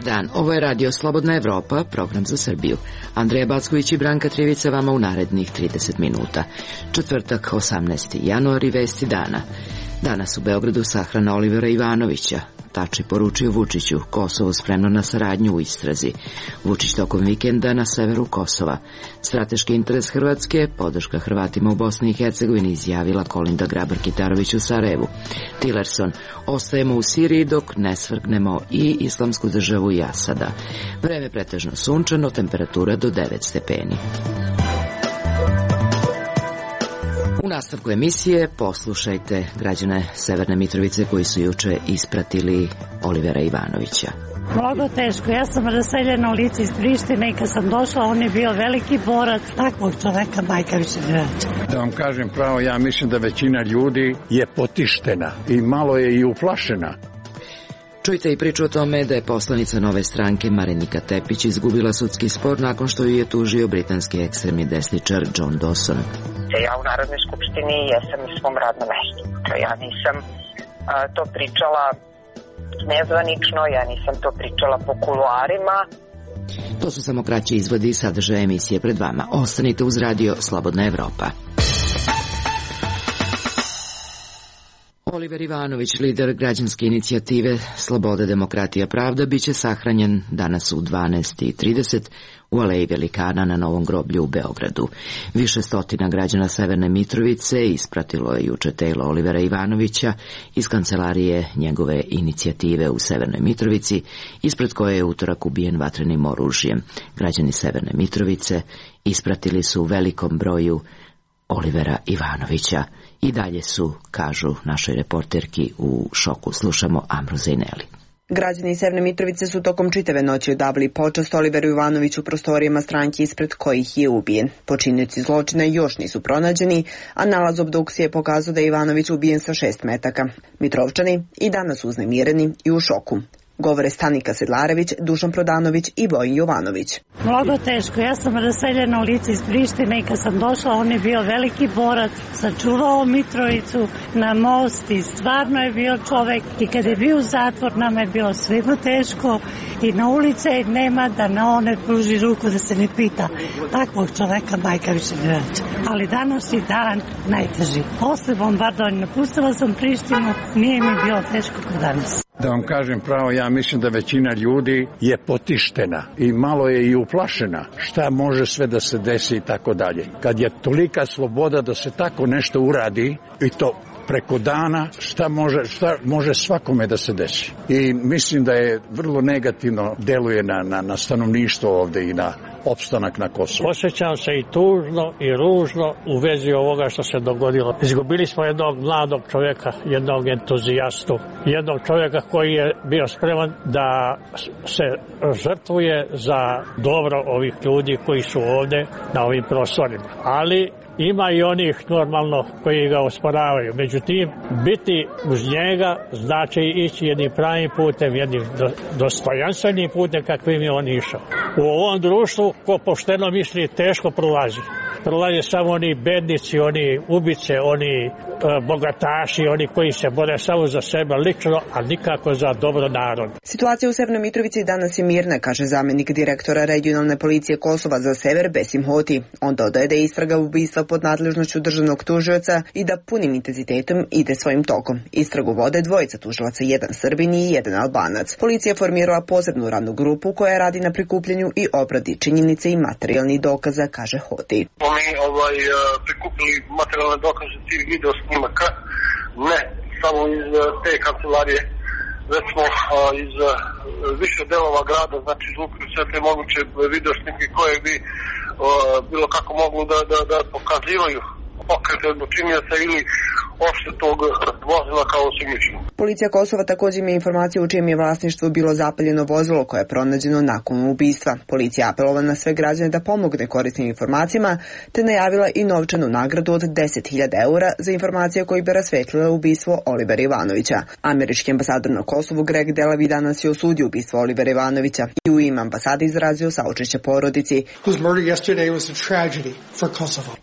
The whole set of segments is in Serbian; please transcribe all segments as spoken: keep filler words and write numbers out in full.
Dan. Ovo je Radio Slobodna Evropa, program za Srbiju. Andreja Backović i Branka Trivica vama u narednih trideset minuta. Četvrtak, osamnaesti januar i vesti dana. Danas u Beogradu sahrana Olivera Ivanovića. Tači poručio Vučiću, Kosovo spremno na saradnju u istrazi. Vučić tokom vikenda na severu Kosova. Strateški interes Hrvatske, podrška Hrvatima u Bosni i Hercegovini, izjavila Kolinda Grabar-Kitarović u Sarajevu. Tillerson, ostajemo u Siriji dok ne svrgnemo i Islamsku državu i Asada. Vreme pretežno sunčano, temperatura do devet stepeni. U nastavku emisije poslušajte građane Severne Mitrovice koji su juče ispratili Olivera Ivanovića. Mnogo teško. Ja sam raseljena u lice iz Prištine i kad sam došla, on je bio veliki borac. Takvog čoveka majka više ne vraća. Da vam kažem pravo, ja mislim da većina ljudi je potištena i malo je i uplašena. Čujte i priču o tome da je poslanica Nove stranke Marinika Tepić izgubila sudski spor nakon što ju je tužio britanski ekstremni desničar John Dawson. Ja u Narodnoj skupštini jesam na svom radnom mestu. Ja nisam a, to pričala nezvanično, ja nisam to pričala po kuluarima. To su samo kraći izvodi i sadržaja emisije pred vama. Ostanite uz Radio Slobodna Evropa. Oliver Ivanović, lider građanske inicijative Sloboda, demokratija, pravda, biće sahranjen danas u dvanaest i trideset u Aleji Velikana na Novom groblju u Beogradu. Više stotina građana Severne Mitrovice ispratilo je juče telo Olivera Ivanovića iz kancelarije njegove inicijative u Severnoj Mitrovici, ispred koje je utorak ubijen vatrenim oružjem. Građani Severne Mitrovice ispratili su u velikom broju Olivera Ivanovića. I dalje su, kažu našoj reporterki, u šoku. Slušamo Amru Zejneli. Građani Severne Mitrovice su tokom čitave noći odavali počast Oliveru Ivanoviću u prostorijama stranke ispred kojih je ubijen. Počinioci zločina još nisu pronađeni, a nalaz obdukcije je pokazao da je Ivanović ubijen sa šest metaka. Mitrovčani i danas uznemireni i u šoku. Govore Stanika Sedlarević, Dušan Prodanović i Vojin Jovanović. Mnogo teško. Ja sam raseljena u lice iz Prištine i kad sam došla, on je bio veliki borac, sačuvao Mitrovicu na most i stvarno je bio čovek. I kad je bio u zatvor, nama je bilo svima teško i na ulice nema da na one pruži ruku da se ne pita. Takvog čoveka majka više ne vraća. Ali današnji dan najteži. Posle bombardovanja napustila sam Prištinu, nije mi bilo teško kao danas. Da vam kažem pravo, ja mislim da većina ljudi je potištena i malo je i uplašena šta može sve da se desi i tako dalje. Kad je tolika sloboda da se tako nešto uradi i to preko dana, šta može, šta može svakome da se desi. I mislim da je vrlo negativno deluje na, na, na stanovništvo ovde i na opstanak na Kosovu. Osjećam se i tužno i ružno u vezi ovoga što se dogodilo. Izgubili smo jednog mladog čovjeka, jednog entuzijastu, jednog čovjeka koji je bio spreman da se žrtvuje za dobro ovih ljudi koji su ovde na ovim prostorima. Ali ima i onih normalno koji ga osporavaju. Međutim, biti uz njega znači ići jednim pravim putem, jednim dostojanstvenim putem kakvim je on išao. U ovom društvu ko pošteno misli teško prolazi. Prolaze samo oni bednici, oni ubice, oni e, bogataši, oni koji se bore samo za sebe lično, a nikako za dobro narod. Situacija u Severnoj Mitrovici danas je mirna, kaže zamjenik direktora regionalne policije Kosova za sever Besim Hoti. On dodaje da je istraga ubistva pod nadležnošću državnog tužioca i da punim intenzitetom ide svojim tokom. Istragu vode dvojica tužilaca, jedan Srbin i jedan Albanac. Policija formirala posebnu radnu grupu koja radi na prikupljanju i obradi činjenice i materijalnih dokaza, kaže Hoti. Mi ovaj, prikupili materijalne dokaze tih video snimaka, ne samo iz te kancelarije, već smo iz više delova grada, znači izlupili sve te moguće video snimke koje bi bilo kako mogu da, da, da pokazivaju pokrete od počinioca ili uopšte tog vozila kao osumnjičenog. Policija Kosova također ima informaciju u čijem je vlasništvu bilo zapaljeno vozilo koje je pronađeno nakon ubistva. Policija apelovala na sve građane da pomogne korisnim informacijama, te najavila i novčanu nagradu od deset hiljada eura za informacije koji bi rasvetlile ubistvo Olivera Ivanovića. Američki ambasador na Kosovu Greg Delavi danas je osudio ubistvo Olivera Ivanovića i u ime ambasade izrazio saučešće porodici.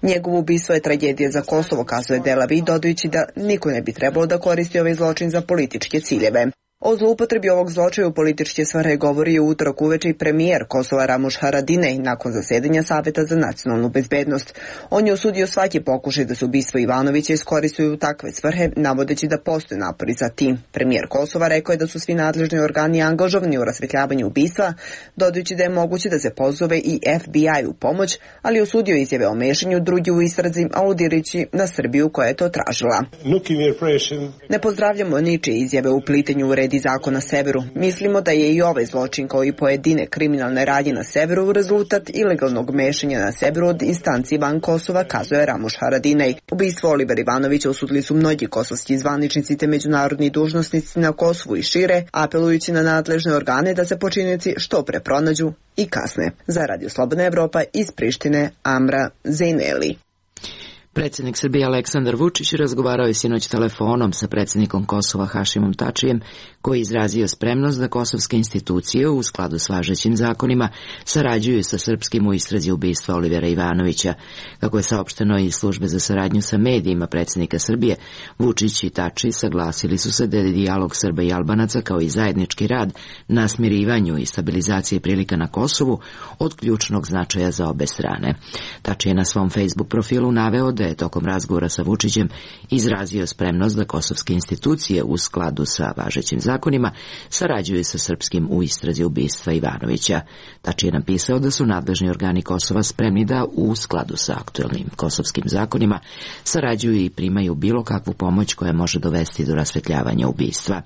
Njegovo ubistvo je tragedija za Kosovo, kazuje Delavi, dodajući da niko ne bi trebalo da koristi ovaj zločin za političke ciljeve. O zloupotrebi ovog zločaja u političke svrhe govori je u utorak uveče i premijer Kosova Ramuš Haradinaj nakon zasedanja Saveta za nacionalnu bezbednost. On je osudio svaki pokušaj da se ubistvo Ivanovića iskoristuju u takve svrhe, navodeći da postoje napori za tim. Premijer Kosova rekao je da su svi nadležni organi angažovani u rasvetljavanju ubistva, dodajući da je moguće da se pozove i F B I u pomoć, ali osudio izjave o mešanju drugi u istrazi, aludirajući na Srbiju koja je to tražila. Ne pozdravljamo ničije izjave u plitenju u red i zakon na severu. Mislimo da je i ovaj zločin kao i pojedine kriminalne radnje na severu rezultat ilegalnog mešanja na severu od instanci van Kosova, kazuje Ramuš Haradinaj. Ubistvo Olivera Ivanovića osudili su mnogi kosovski zvaničnici te međunarodni dužnosnici na Kosovu i šire, apelujući na nadležne organe da se počinioci što pre pronađu i kasne. Za Radio Slobodna Evropa iz Prištine, Amra Zejneli. Predsjednik Srbije Aleksandar Vučić razgovarao je sinoć telefonom sa predsjednikom Kosova Hašimom Tačijem, koji je izrazio spremnost da kosovske institucije u skladu s važećim zakonima sarađuju sa srpskim u istrazi ubistva Olivera Ivanovića. Kako je saopšteno iz službe za saradnju sa medijima predsjednika Srbije, Vučić i Tači saglasili su se da je dijalog Srba i Albanaca kao i zajednički rad na smirivanju i stabilizaciji prilika na Kosovu od ključnog značaja za obe strane. Tači je na svom Facebook profilu naveo da je tokom razgovora sa Vučićem izrazio spremnost da kosovske institucije u skladu sa važećim zakonima sarađuju sa srpskim u istrazi ubistva Ivanovića. Tači je napisao da su nadležni organi Kosova spremni da u skladu sa aktuelnim kosovskim zakonima sarađuju i primaju bilo kakvu pomoć koja može dovesti do rasvetljavanja ubistva.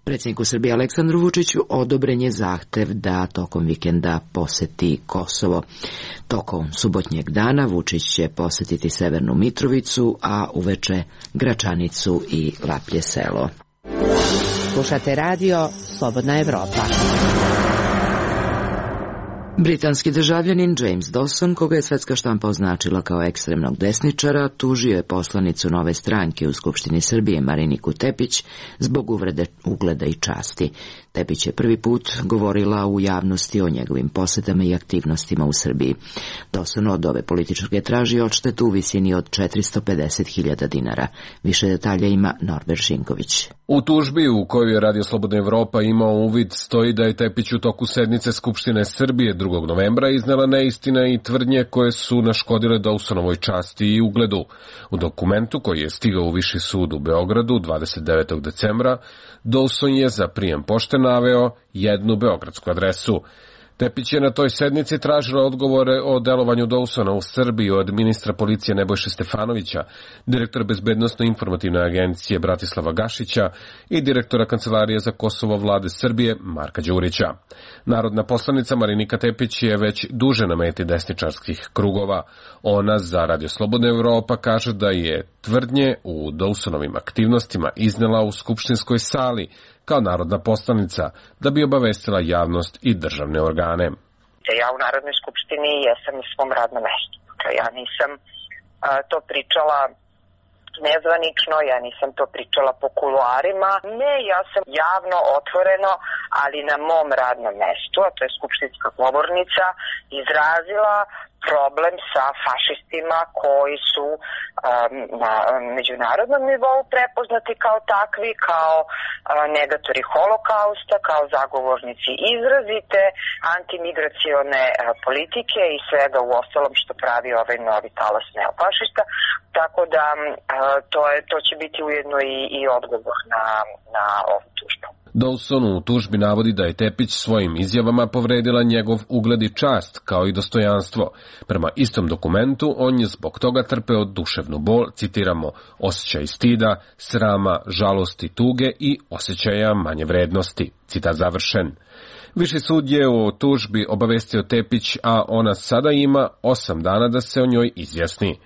Predsjedniku Srbije Aleksandru Vučiću odobren je zahtev da tokom vikenda poseti Kosovo. Tokom subotnjeg dana Vučić će posetiti Severnu Mitrovicu, a uveče Gračanicu i Laplje selo. Slušate radio Slobodna Evropa. Britanski državljanin James Dawson, koga je svetska štampa označila kao ekstremnog desničara, tužio je poslanicu Nove stranke u Skupštini Srbije Mariniku Tepić zbog uvrede ugleda i časti. Tepić je prvi put govorila u javnosti o njegovim posetama i aktivnostima u Srbiji. Dawson od ove političke traži odštetu u visini od četiristo pedeset hiljada dinara. Više detalja ima Norbert Žinković. U tužbi u kojoj je Radio Slobodna Evropa imao uvid stoji da je Tepić u toku sednice Skupštine Srbije drugog novembra iznela neistine i tvrdnje koje su naškodile Dawsonovoj časti i ugledu. U dokumentu koji je stigao u Viši sud u Beogradu dvadeset devetog decembra, Dawson je za prijem pošte naveo jednu beogradsku adresu. Tepić je na toj sednici tražila odgovore o delovanju Dawsona u Srbiji od ministra policije Nebojše Stefanovića, direktora Bezbednosno-informativne agencije Bratislava Gašića i direktora Kancelarije za Kosovo vlade Srbije Marka Đurića. Narodna poslanica Marinika Tepić je već duže na meti desničarskih krugova. Ona za Radio Slobodna Evropa kaže da je tvrdnje u Dawsonovim aktivnostima iznela u skupštinskoj sali kao narodna poslanica da bi obavestila javnost i državne organe. Ja u Narodnoj skupštini jesam na svom radnom mestu. Ja nisam a, to pričala nezvanično, ja nisam to pričala po kuluarima. Ne, ja sam javno, otvoreno, ali na mom radnom mestu, a to je skupštinska govornica, izrazila problem sa fašistima koji su um, na međunarodnom nivou prepoznati kao takvi, kao uh, negatori holokausta, kao zagovornici izrazite antimigracione uh, politike i svega u ostalom što pravi ovaj novi talas neofašista. Tako da uh, to, je, to će biti ujedno i, i odgovor na, na ovu tužbu. Dawson u tužbi navodi da je Tepić svojim izjavama povredila njegov ugled i čast, kao i dostojanstvo. Prema istom dokumentu, on je zbog toga trpeo duševnu bol, citiramo, osjećaj stida, srama, žalosti, tuge i osjećaja manje vrednosti. Citat završen. Viši sud je o tužbi obavestio Tepić, a ona sada ima osam dana da se o njoj izjasni.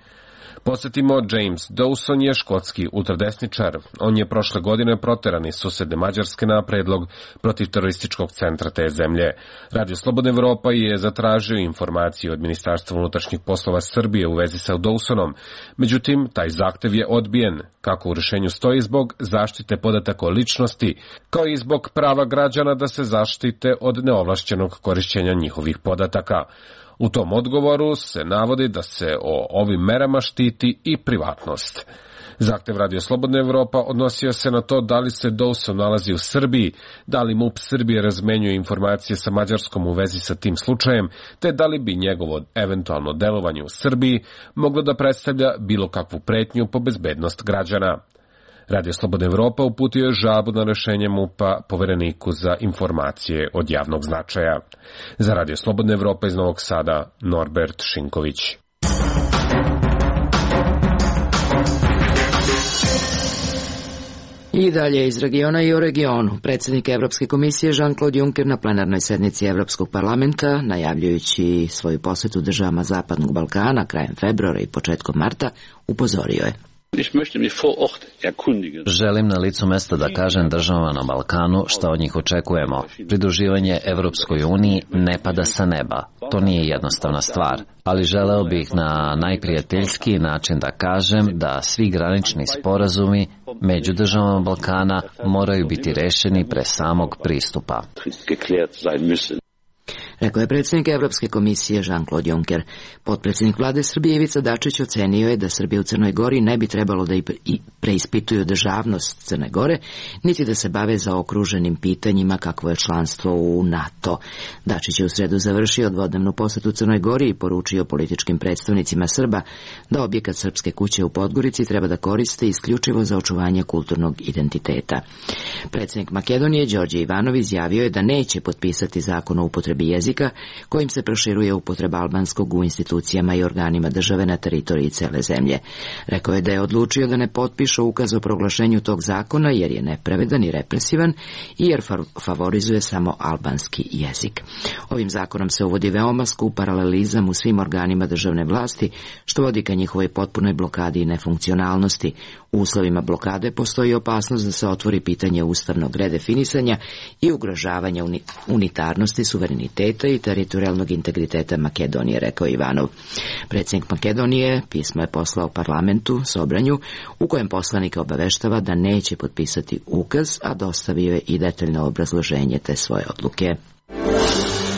Posjetimo, James Dawson je škotski ultradesničar. On je prošle godine proteran iz susedne Mađarske na predlog protiv terorističkog centra te zemlje. Radio Slobodna Evropa je zatražio informacije od Ministarstva unutrašnjih poslova Srbije u vezi sa Dawsonom. Međutim, taj zahtev je odbijen, kako u rješenju stoji, zbog zaštite podataka o ličnosti, kao i zbog prava građana da se zaštite od neovlašćenog korišćenja njihovih podataka. U tom odgovoru se navodi da se o ovim merama štiti i privatnost. Zahtev Radio Slobodna Evropa odnosio se na to da li se Dawson nalazi u Srbiji, da li M U P Srbije razmenjuje informacije sa Mađarskom u vezi sa tim slučajem, te da li bi njegovo eventualno delovanje u Srbiji moglo da predstavlja bilo kakvu pretnju po bezbednost građana. Radio Slobodna Evropa uputio je žalbu na rešenje M U P-a povereniku za informacije od javnog značaja. Za Radio Slobodna Evropa iz Novog Sada, Norbert Šinković. I dalje iz regiona i o regionu. Predsjednik Evropske komisije Jean-Claude Juncker na plenarnoj sednici Evropskog parlamenta, najavljujući svoju posjetu državama Zapadnog Balkana krajem februara i početkom marta, upozorio je. Želim na licu mesta da kažem državama na Balkanu šta od njih očekujemo. Pridruživanje Evropskoj uniji ne pada sa neba. To nije jednostavna stvar, ali želeo bih na najprijateljskiji način da kažem da svi granični sporazumi među državama Balkana moraju biti rešeni pre samog pristupa. Rekao je predsjednik Evropske komisije Jean-Claude Juncker. Potpredsjednik vlade Srbije Ivica Dačić ocenio je da Srbija u Crnoj Gori ne bi trebalo da i preispituju državnost Crne Gore, niti da se bave zaokruženim pitanjima kakvo je članstvo u NATO. Dačić je u sredu završio dvodnevnu posetu Crnoj Gori i poručio političkim predstavnicima Srba da objekat Srpske kuće u Podgorici treba da koriste isključivo za očuvanje kulturnog identiteta. Predsjednik Makedonije Đorđe Ivanov izjavio je da neće potpisati zakon o upotrebi jezika kojim se proširuje upotreba albanskog u institucijama i organima države na teritoriji cele zemlje. Rekao je da je odlučio da ne potpiše ukaz o proglašenju tog zakona jer je nepravedan i represivan i jer favorizuje samo albanski jezik. Ovim zakonom se uvodi veoma skup paralelizam u svim organima državne vlasti, što vodi ka njihovoj potpunoj blokadi i nefunkcionalnosti. U uslovima blokade postoji opasnost da se otvori pitanje ustavnog redefinisanja i ugrožavanja unitarnosti, suvereniteta i teritorijalnog integriteta Makedonije, rekao Ivanov. Predsjednik Makedonije pismo je poslao parlamentu Sobranju, u kojem poslanika obaveštava da neće potpisati ukaz, a dostavio je i detaljno obrazloženje te svoje odluke.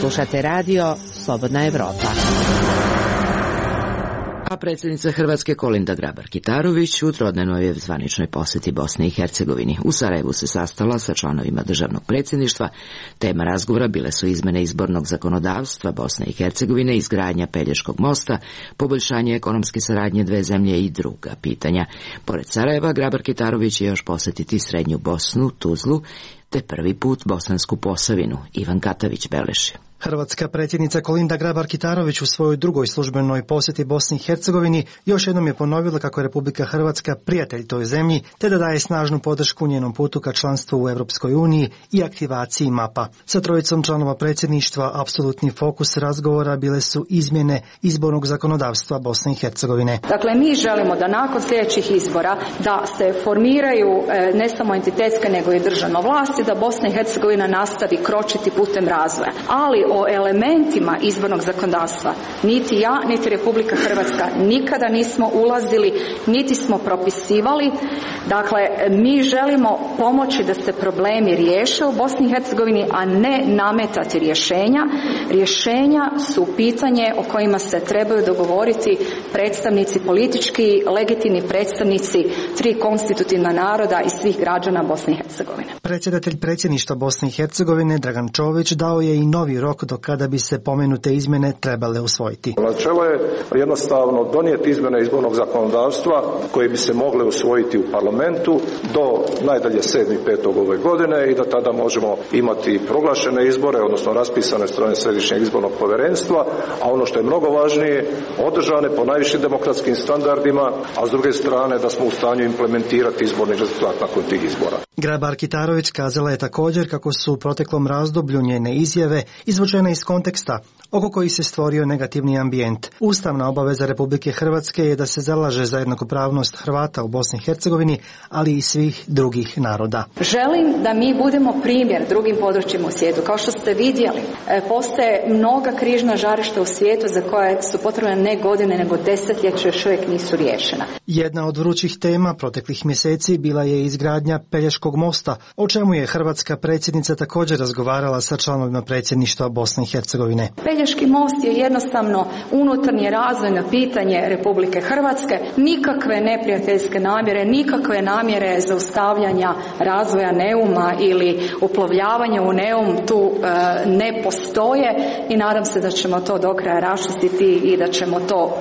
Slušate radio Slobodna Evropa. A predsjednica Hrvatske Kolinda Grabar-Kitarović u trodnevnoj zvaničnoj posjeti Bosni i Hercegovini. U Sarajevu se sastala sa članovima državnog predsjedništva. Tema razgovora bile su izmene izbornog zakonodavstva Bosne i Hercegovine, izgradnja Pelješkog mosta, poboljšanje ekonomske saradnje dve zemlje i druga pitanja. Pored Sarajeva, Grabar-Kitarović će još posjetiti Srednju Bosnu, Tuzlu, te prvi put Bosansku Posavinu. Ivan Katavić beleži. Hrvatska predsjednica Kolinda Grabar-Kitarović u svojoj drugoj službenoj posjeti Bosni i Hercegovini još jednom je ponovila kako je Republika Hrvatska prijatelj toj zemlji, te da daje snažnu podršku njenom putu ka članstvu u Europskoj uniji i aktivaciji mapa. Sa trojicom članova predsjedništva apsolutni fokus razgovora bile su izmjene izbornog zakonodavstva Bosne i Hercegovine. Dakle, mi želimo da nakon sljedećih izbora da se formiraju ne samo entitetske nego i državna vlast i da Bosna i Hercegovina nastavi kročiti putem razvoja. Ali o elementima izbornog zakonodavstva niti ja, niti Republika Hrvatska nikada nismo ulazili, niti smo propisivali. Dakle, mi želimo pomoći da se problemi riješe u Bosni i Hercegovini, a ne nametati rješenja. Rješenja su pitanje o kojima se trebaju dogovoriti predstavnici, politički legitimni predstavnici tri konstitutivna naroda i svih građana Bosne i Hercegovine. Predsjedatelj predsjedništva Bosne i Hercegovine Dragan Čović dao je i novi rok do kada bi se pomenute izmjene trebale usvojiti. Načelo je jednostavno donijeti izmjene izbornog zakonodavstva koje bi se mogle usvojiti u parlamentu do najdalje sedmi petog ove godine i da tada možemo imati proglašene izbore, odnosno raspisane strane Središnjeg izbornog povjerenstva, a ono što je mnogo važnije, održane po najvišim demokratskim standardima, a s druge strane da smo u stanju implementirati izborni rezultat nakon tih izbora. Grabar-Kitarović kazala je također kako su u proteklom razdoblju njene izjave izvođenje izvučena iz konteksta oko kojih se stvorio negativni ambijent. Ustavna obaveza Republike Hrvatske je da se zalaže za jednakopravnost Hrvata u Bosni i Hercegovini, ali i svih drugih naroda. Želim da mi budemo primjer drugim područjima u svijetu. Kao što ste vidjeli, postoje mnoga križna žarišta u svijetu za koje su potrebne ne godine, nego desetljeće još uvijek nisu riješena. Jedna od vrućih tema proteklih mjeseci bila je izgradnja Pelješkog mosta, o čemu je hrvatska predsjednica također razgovarala sa članovima predsjedništva Bosne i Hercegovine. Pelješki most je jednostavno unutarnje razvojno pitanje Republike Hrvatske, nikakve neprijateljske namjere, nikakve namjere zaustavljanja razvoja Neuma ili uplovljavanja u Neum tu e, ne postoje i nadam se da ćemo to do kraja raščistiti i da ćemo to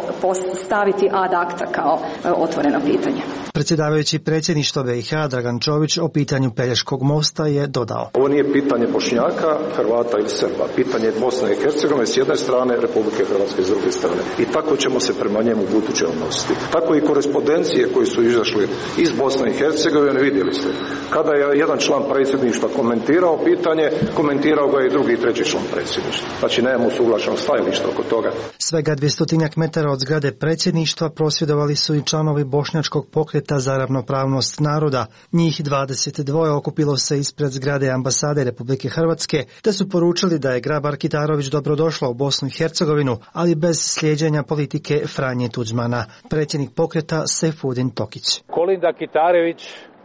staviti ad acta kao e, otvoreno pitanje. Predsjedavajući predsjedništva B i H Dragan Čović o pitanju Pelješkog mosta je dodao: Ovo nije pitanje Bošnjaka, Hrvata ili Srba, pitanje Bosne i Hercegovine s jedne strane, Republike Hrvatske s druge strane. I tako ćemo se prema njemu buduće odnositi. Tako i korespondencije koji su izašli iz Bosne i Hercegovine, vidjeli ste. Kada je jedan član predsjedništva komentirao pitanje, komentirao ga i drugi i treći član predsjedništva. Znači nemamo usuglašeno stajalište oko toga. Svega dvjestotinjak metara od zgrade predsjedništva prosvjedovali su i članovi Bošnjačkog pokreta za ravnopravnost naroda. Njih dvadeset dva okupilo se ispred zgrade ambasade Republike Hrvatske, te su poručili da je Grabar-Kitarović dobrodošla u Bosnu i Hercegovinu, ali bez slijeđenja politike Franje Tuđmana. Predsjednik pokreta Sejfudin Tokić. Kolinda Kitarović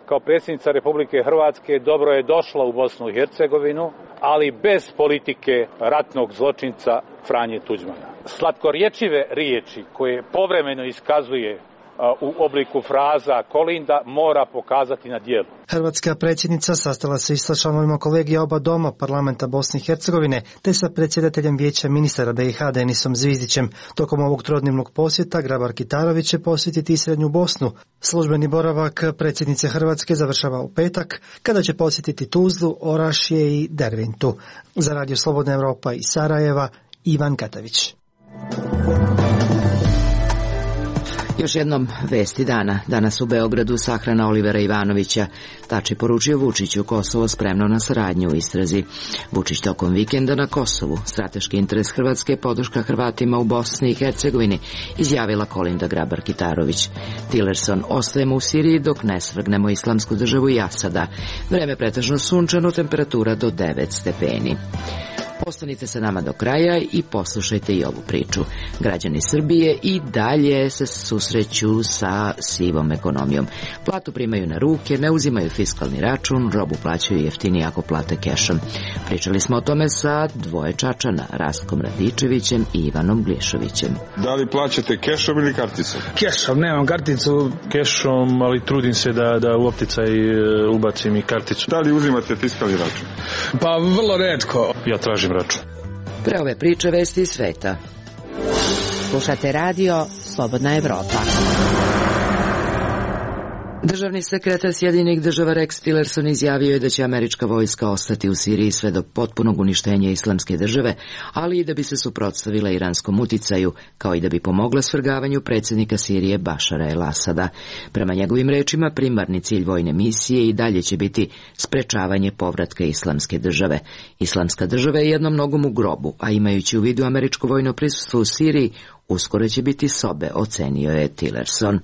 kao predsjednica Republike Hrvatske dobro je došla u Bosnu i Hercegovinu, ali bez politike ratnog zločinca Franje Tuđmana. Slatkorječive riječi koje povremeno iskazuje u obliku fraza Kolinda mora pokazati na djelu. Hrvatska predsjednica sastala se i sa članovima kolegija oba doma parlamenta Bosne i Hercegovine, te sa predsjedateljem vijeća ministara B i H Denisom Zvizdićem. Tokom ovog trodnevnog posjeta Grabar-Kitarović će posjetiti i Srednju Bosnu. Službeni boravak predsjednice Hrvatske završava u petak, kada će posjetiti Tuzlu, Orašje i Derventu. Za Radio Slobodna Evropa iz Sarajeva, Ivan Katavić. Još jednom vesti dana. Danas u Beogradu sahrana Olivera Ivanovića. Tači poručio Vučiću, Kosovo spremno na saradnju u istrazi. Vučić tokom vikenda na Kosovu. Strateški interes Hrvatske, podrška Hrvatima u Bosni i Hercegovini, izjavila Kolinda Grabar-Kitarović. Tillerson: ostajemo u Siriji dok ne svrgnemo Islamsku državu i Asada. Vreme pretežno sunčano, temperatura do devet stepeni. Ostanite sa nama do kraja i poslušajte i ovu priču. Građani Srbije i dalje se susreću sa sivom ekonomijom. Platu primaju na ruke, ne uzimaju fiskalni račun, robu plaćaju jeftinije ako plate kešom. Pričali smo o tome sa dvoje Čačana, Rastkom Radičevićem i Ivanom Glišovićem. Da li plaćate kešom ili karticom? Kešom, nemam karticu. Kešom, ali trudim se da, da u opticaj ubacim i karticu. Da li uzimate fiskalni račun? Pa vrlo retko. Ja tražim račun. Pre ove priče vesti iz sveta. Slušate radio Slobodna Evropa. Državni sekretar Sjedinjenih država Rex Tillerson izjavio je da će američka vojska ostati u Siriji sve do potpunog uništenja Islamske države, ali i da bi se suprotstavila iranskom uticaju, kao i da bi pomogla svrgavanju predsjednika Sirije Bašara el-Asada. Prema njegovim rečima, primarni cilj vojne misije i dalje će biti sprečavanje povratka Islamske države. Islamska država je jednom nogom u grobu, a imajući u vidu američko vojno prisustvo u Siriji, uskoro će biti sobe, ocenio je Tillerson.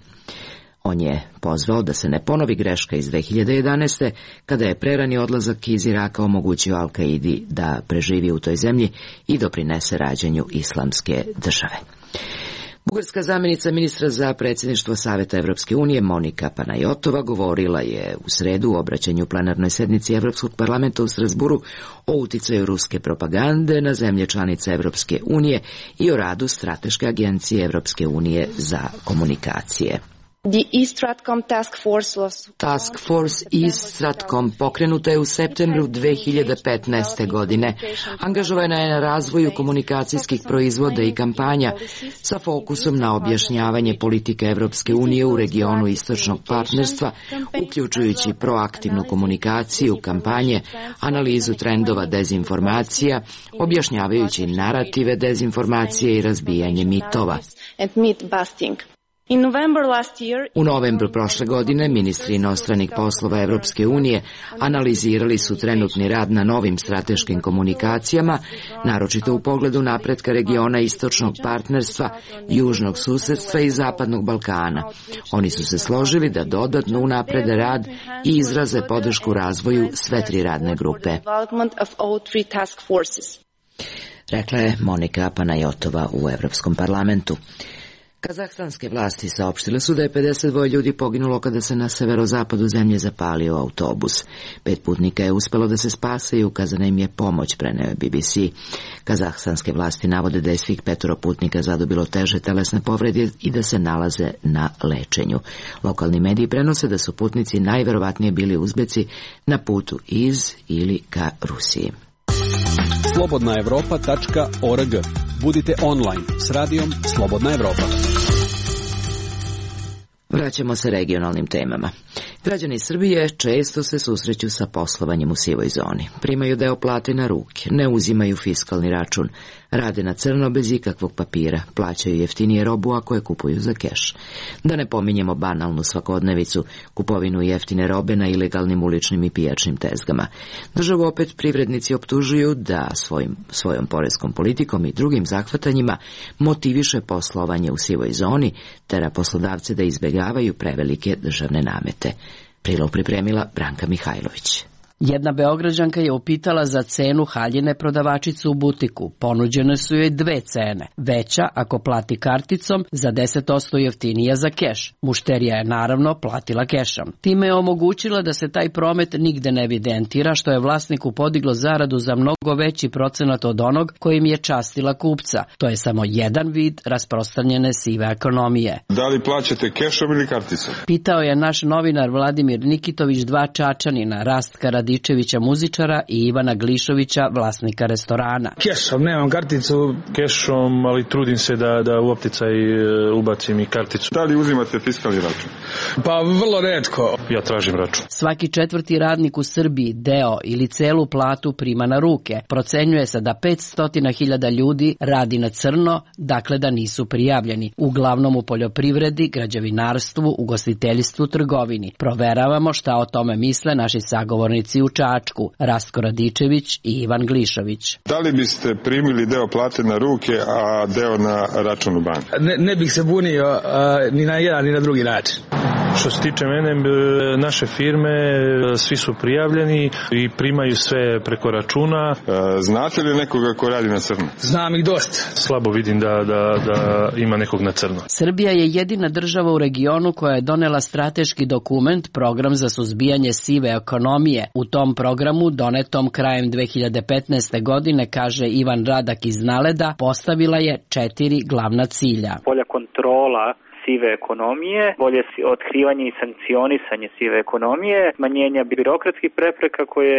On je pozvao da se ne ponovi greška iz dve hiljade jedanaeste. kada je prerani odlazak iz Iraka omogućio Al-Kaidi da preživi u toj zemlji i doprinese rađanju Islamske države. Bugarska zamjenica ministra za predsjedništvo Saveta Evropske unije Monika Panajotova govorila je u sredu u obraćanju plenarnoj sednici Evropskog parlamenta u Strasburu o uticaju ruske propagande na zemlje članice Evropske unije i o radu Strateške agencije Evropske unije za komunikacije. The East-Stratcom Task Force was... Task Force East-Stratcom pokrenuta je u septembru dve hiljade petnaeste. godine. Angažovana je na razvoju komunikacijskih proizvoda i kampanja sa fokusom na objašnjavanje politike Evropske unije u regionu istočnog partnerstva, uključujući proaktivnu komunikaciju, kampanje, analizu trendova dezinformacija, objašnjavajući narative dezinformacije i razbijanje mitova. And myth busting. In November last year, U novembru prošle godine ministri inostranih poslova Evropske unije analizirali su trenutni rad na novim strateškim komunikacijama, naročito u pogledu napretka regiona istočnog partnerstva, južnog susedstva i zapadnog Balkana. Oni su se složili da dodatno unaprede rad i izraze podršku razvoju sve tri radne grupe. Rekla je Monika Panajotova u Evropskom parlamentu. Kazahstanske vlasti saopštile su da je pedeset dva ljudi poginulo kada se na severozapadu zemlje zapalio autobus. Pet putnika je uspelo da se spase i ukazana im je pomoć, preneo je B B C. Kazahstanske vlasti navode da je svih petoro putnika zadobilo teže telesne povrede i da se nalaze na lečenju. Lokalni mediji prenose da su putnici najverovatnije bili Uzbeci na putu iz ili ka Rusiji. slobodna evropa tačka org. Budite online s radijom Slobodna Evropa. Vraćamo se regionalnim temama. Građani Srbije često se susreću sa poslovanjem u sivoj zoni. Primaju deo plate na ruke, ne uzimaju fiskalni račun, rade na crno bez ikakvog papira, plaćaju jeftinije robu ako je kupuju za keš. Da ne pominjemo banalnu svakodnevicu, kupovinu jeftine robe na ilegalnim uličnim i pijačnim tezgama. Državu opet privrednici optužuju da svojim, svojom poreskom politikom i drugim zahvatanjima motiviše poslovanje u sivoj zoni, tera poslodavce da izbegavaju prevelike državne namete. Prilog pripremila Branka Mihajlović. Jedna Beograđanka je upitala za cenu haljine prodavačicu u butiku. Ponuđene su joj dve cene. Veća ako plati karticom, za deset posto jeftinija za keš. Mušterija je naravno platila kešom. Time je omogućila da se taj promet nigde ne evidentira, što je vlasniku podiglo zaradu za mnogo veći procenat od onog kojim je častila kupca. To je samo jedan vid rasprostranjene sive ekonomije. Da li plaćate kešom ili karticom? Pitao je naš novinar Vladimir Nikitović dva Čačanina, Rastka Radičevića muzičara i Ivana Glišovića, vlasnika restorana. Kešom, nemam karticu. Kešom, ali trudim se da, da u opticaj ubacim i karticu. Da li uzimate fiskalni račun? Pa vrlo retko. Ja tražim račun. Svaki četvrti radnik u Srbiji deo ili celu platu prima na ruke. Procenjuje se da petsto hiljada ljudi radi na crno, dakle da nisu prijavljeni. Uglavnom u poljoprivredi, građevinarstvu, ugostiteljstvu, trgovini. Proveravamo šta o tome misle naši sagovornici u Čačku, Rastko Radičević i Ivan Glišović. Da li biste primili deo plate na ruke, a deo na račun u banku? Ne, ne bih se bunio a, ni na jedan ni na drugi način. Što se tiče mene, naše firme, svi su prijavljeni i primaju sve preko računa. Znate li nekoga ko radi na crno? Znam ih dosta. Slabo vidim da, da, da ima nekog na crno. Srbija je jedina država u regionu koja je donela strateški dokument, program za suzbijanje sive ekonomije. U tom programu, donetom krajem dve hiljade petnaeste. godine, kaže Ivan Radak iz Naleda, postavila je četiri glavna cilja. Bolja kontrola sive ekonomije, bolje otkrivanje i sankcionisanje sive ekonomije, smanjenja birokratskih prepreka koje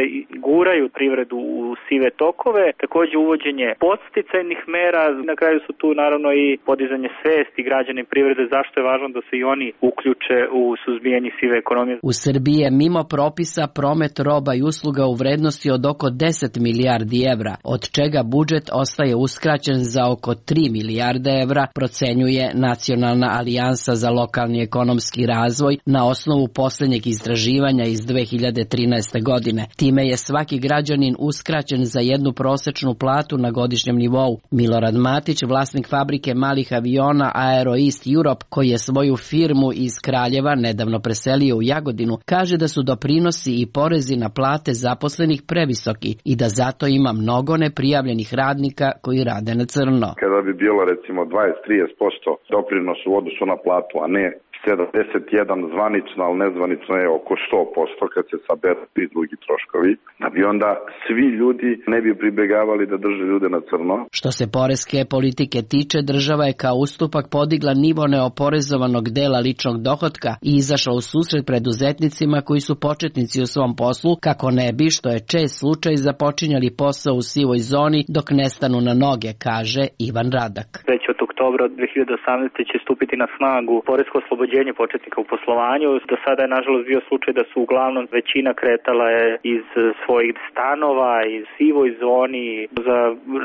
guraju privredu u sive tokove, također uvođenje podsticajnih mera, na kraju su tu naravno i podizanje svesti građana i privrede zašto je važno da se i oni uključe u suzbijanje sive ekonomije. U Srbiji je mimo propisa promet roba i usluga u vrednosti od oko deset milijardi evra, od čega budžet ostaje uskraćen za oko tri milijarde evra, procenjuje Nacionalna alijansa za lokalni ekonomski razvoj na osnovu posljednjeg istraživanja iz dve hiljade trinaeste. godine. Time je svaki građanin uskraćen za jednu prosečnu platu na godišnjem nivou. Milorad Matić, vlasnik fabrike malih aviona Aero East Europe, koji je svoju firmu iz Kraljeva nedavno preselio u Jagodinu, kaže da su doprinosi i porezi na plate zaposlenih previsoki i da zato ima mnogo neprijavljenih radnika koji rade na crno. Kada bi bilo recimo dvadeset do trideset posto doprinos u odnosu na platu, a ne sedamdeset jedan zvanično, ali nezvanično je oko sto posto kad se saberu svi drugi troškovi, da bi onda svi ljudi ne bi pribegavali da drže ljude na crno. Što se poreske politike tiče, država je kao ustupak podigla nivo neoporezovanog dela ličnog dohotka i izašla u susret preduzetnicima koji su početnici u svom poslu, kako ne bi, što je čest slučaj, započinjali posao u sivoj zoni dok ne stanu na noge, kaže Ivan Radak. Već od oktobra dve hiljade osamnaeste. će stupiti na snagu poresko oslobođenje prilagođenje početnika u poslovanju. Do sada je nažalost bio slučaj da su uglavnom većina kretala je iz svojih stanova, iz sivoj zoni. Za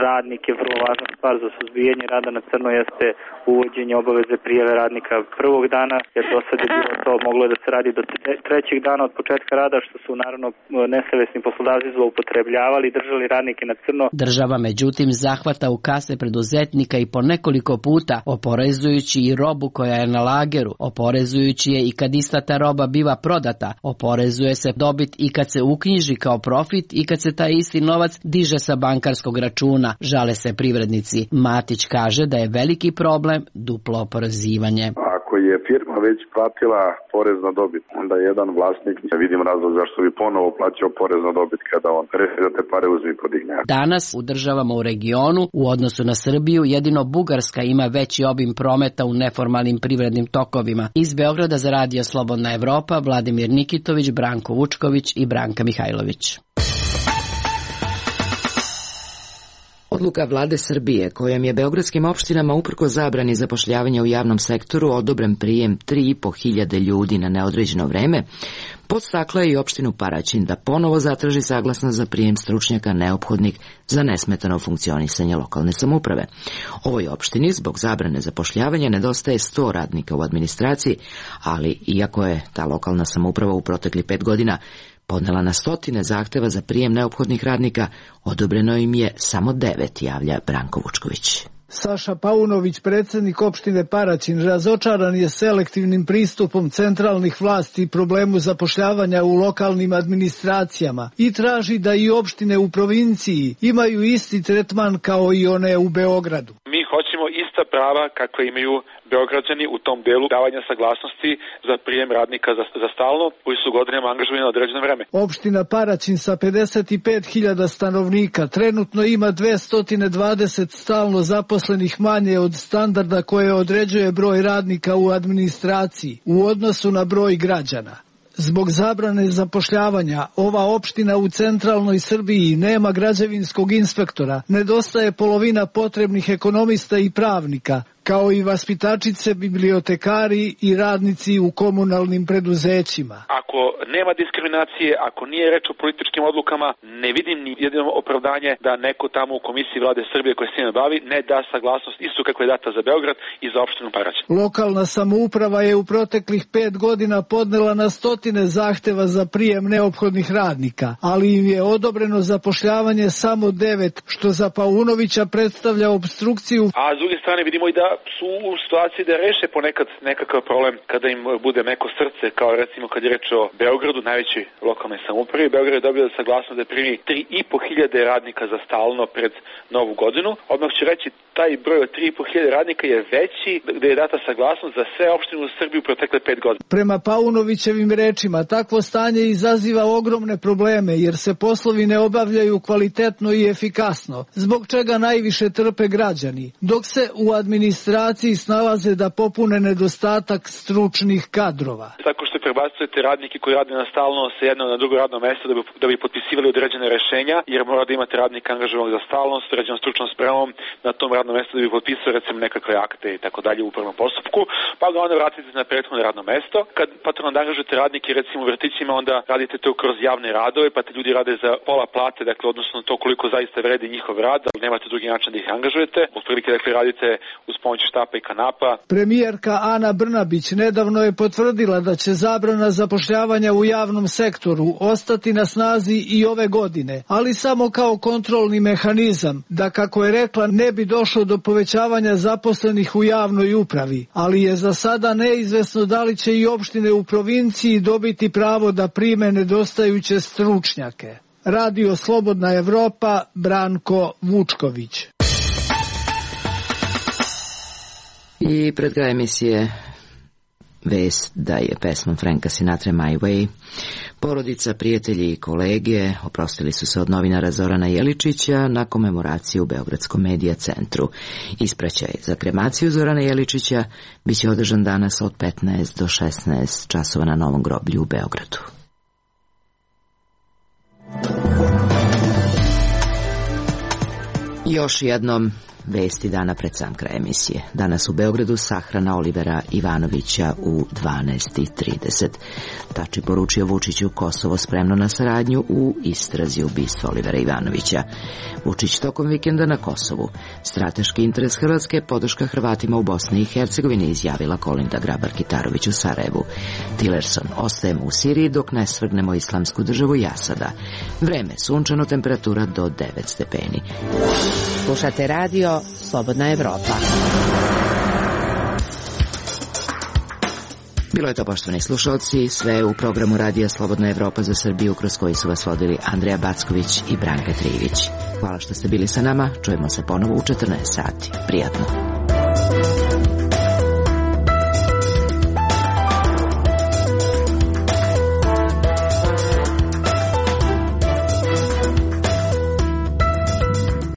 radnike vrlo važna stvar za suzbijanje rada na crno jeste uvođenje obaveze prijave radnika prvog dana, jer do sada je bilo to moglo da se radi do trećeg dana od početka rada, što su naravno nesavesni poslodavci zloupotrebljavali i držali radnike na crno. Država međutim zahvata u kase preduzetnika i po nekoliko puta, oporezujući i robu koja je na lageru, oporezujući je i kad ista ta roba biva prodata, oporezuje se dobit i kad se uknjiži kao profit i kad se taj isti novac diže sa bankarskog računa, žale se privrednici. Matić kaže da je veliki problem duplo oporezivanje. Ako je firma već platila porez na dobit, onda jedan vlasnik, ne vidim razlog zašto bi ponovo plaćao porez na dobit kada on reši da te pare uzme i podigne. Danas u državama u regionu, u odnosu na Srbiju, jedino Bugarska ima veći obim prometa u neformalnim privrednim tokovima. Iz Beograda za Radio Slobodna Evropa, Vladimir Nikitović, Branko Vučković i Branka Mihajlović. Odluka vlade Srbije, kojom je beogradskim opštinama uprkos zabrani zapošljavanja u javnom sektoru odobren prijem tri i po hiljade ljudi na neodređeno vreme, podstakla je i opštinu Paraćin da ponovo zatraži saglasnost za prijem stručnjaka neophodnih za nesmetano funkcionisanje lokalne samouprave. Ovoj opštini zbog zabrane zapošljavanja nedostaje sto radnika u administraciji, ali iako je ta lokalna samouprava u protekli pet godina podnela na stotine zahteva za prijem neophodnih radnika, odobreno im je samo devet, javlja Branko Vučković. Saša Paunović, predsjednik opštine Paraćin, razočaran je selektivnim pristupom centralnih vlasti i problemu zapošljavanja u lokalnim administracijama i traži da i opštine u provinciji imaju isti tretman kao i one u Beogradu. Mi hoćemo ista prava kakve imaju Beograđani u tom delu davanja saglasnosti za prijem radnika za, za stalno, koji su godinama angažovani na određeno vreme. Opština Paraćin sa pedeset pet hiljada stanovnika trenutno ima dvesta dvadeset stalno zaposlenih manje od standarda koje određuje broj radnika u administraciji u odnosu na broj građana. Zbog zabrane zapošljavanja, ova opština u centralnoj Srbiji nema građevinskog inspektora, nedostaje polovina potrebnih ekonomista i pravnika, kao i vaspitačice, bibliotekari i radnici u komunalnim preduzećima. Ako nema diskriminacije, ako nije reč o političkim odlukama, ne vidim ni jedino opravdanje da neko tamo u Komisiji vlade Srbije koja se njima bavi ne da saglasnost isto kako je data za Beograd i za opštinu Paraćin. Lokalna samouprava je u proteklih pet godina podnela na stotine zahteva za prijem neophodnih radnika, ali im je odobreno zapošljavanje samo devet, što za Paunovića predstavlja obstrukciju. A s druge strane vidimo i da su u situaciji da reše ponekad nekakav problem kada im bude meko srce, kao recimo kad je reč o Beogradu, najvećoj lokalnoj samoupravi. Beograd je dobio saglasnost da primi tri i po hiljade radnika za stalno pred Novu godinu. Odmah ću reći, taj broj od tri i po hiljade radnika je veći gde je data saglasnost za sve opštine u Srbiji u protekle pet godina. Prema Paunovićevim rečima, takvo stanje izaziva ogromne probleme jer se poslovi ne obavljaju kvalitetno i efikasno, zbog čega najviše trpe građani, dok se u administraciji snalaze da popune nedostatak stručnih kadrova. Tako što prebacujete radnike koji rade na stalno sa jedno na drugo radno mesto da bi, da bi potpisivali određene rešenja, jer mora da imate radnika angažovanog za stalnost, određenom stručnom spremom na tom radnom mestu da bi potpisao recimo nekakve akte i tako dalje u upravnom postupku, pa ga onda vratite na prethodno radno mesto. Kad patron da angažujete radnike recimo u vrtićima, onda radite to kroz javne radove, pa te ljudi rade za pola plate, dakle odnosno to koliko zaista vredi njihov rad, ali nemate drugi način da ih angažujete. Otprilike dakle radite uz pomoć štapa i kanapa. Premijerka Ana Brnabić nedavno je potvrdila da će zabrana zapošljavanja u javnom sektoru ostati na snazi i ove godine, ali samo kao kontrolni mehanizam, da kako je rekla ne bi došlo do povećavanja zaposlenih u javnoj upravi, ali je za sada neizvesno da li će i opštine u provinciji dobiti pravo da prime nedostajuće stručnjake. Radio Slobodna Evropa, Branko Vučković. I pred kraj emisije vest da je pesmom Franka Sinatra My Way porodica, prijatelji i kolege oprostili su se od novinara Zorana Jeličića na komemoraciji u Beogradskom medija centru. Ispraćaj za kremaciju Zorana Jeličića biće održan danas od petnaest do šesnaest časova na Novom groblju u Beogradu. Još jednom vesti dana pred sam kraj emisije. Danas u Beogradu sahrana Olivera Ivanovića u dvanaest i trideset. Tači poručio Vučiću Kosovo spremno na saradnju u istrazi ubistva Olivera Ivanovića. Vučić tokom vikenda na Kosovu. Strateški interes Hrvatske je podrška Hrvatima u Bosni i Hercegovini, izjavila Kolinda Grabar-Kitarović u Sarajevu. Tillerson: ostajemo u Siriji dok ne svrgnemo islamsku državu Jasada. Vreme sunčano, temperatura do devet stepeni. Slušate radio Slobodna Evropa. Bilo je to, poštovani slušalci, sve u programu radija Slobodna Evropa za Srbiju, kroz koji su vas vodili Andreja Backović i Branka Trivić. Hvala što ste bili sa nama, čujemo se ponovo u četrnaest sati. Prijatno.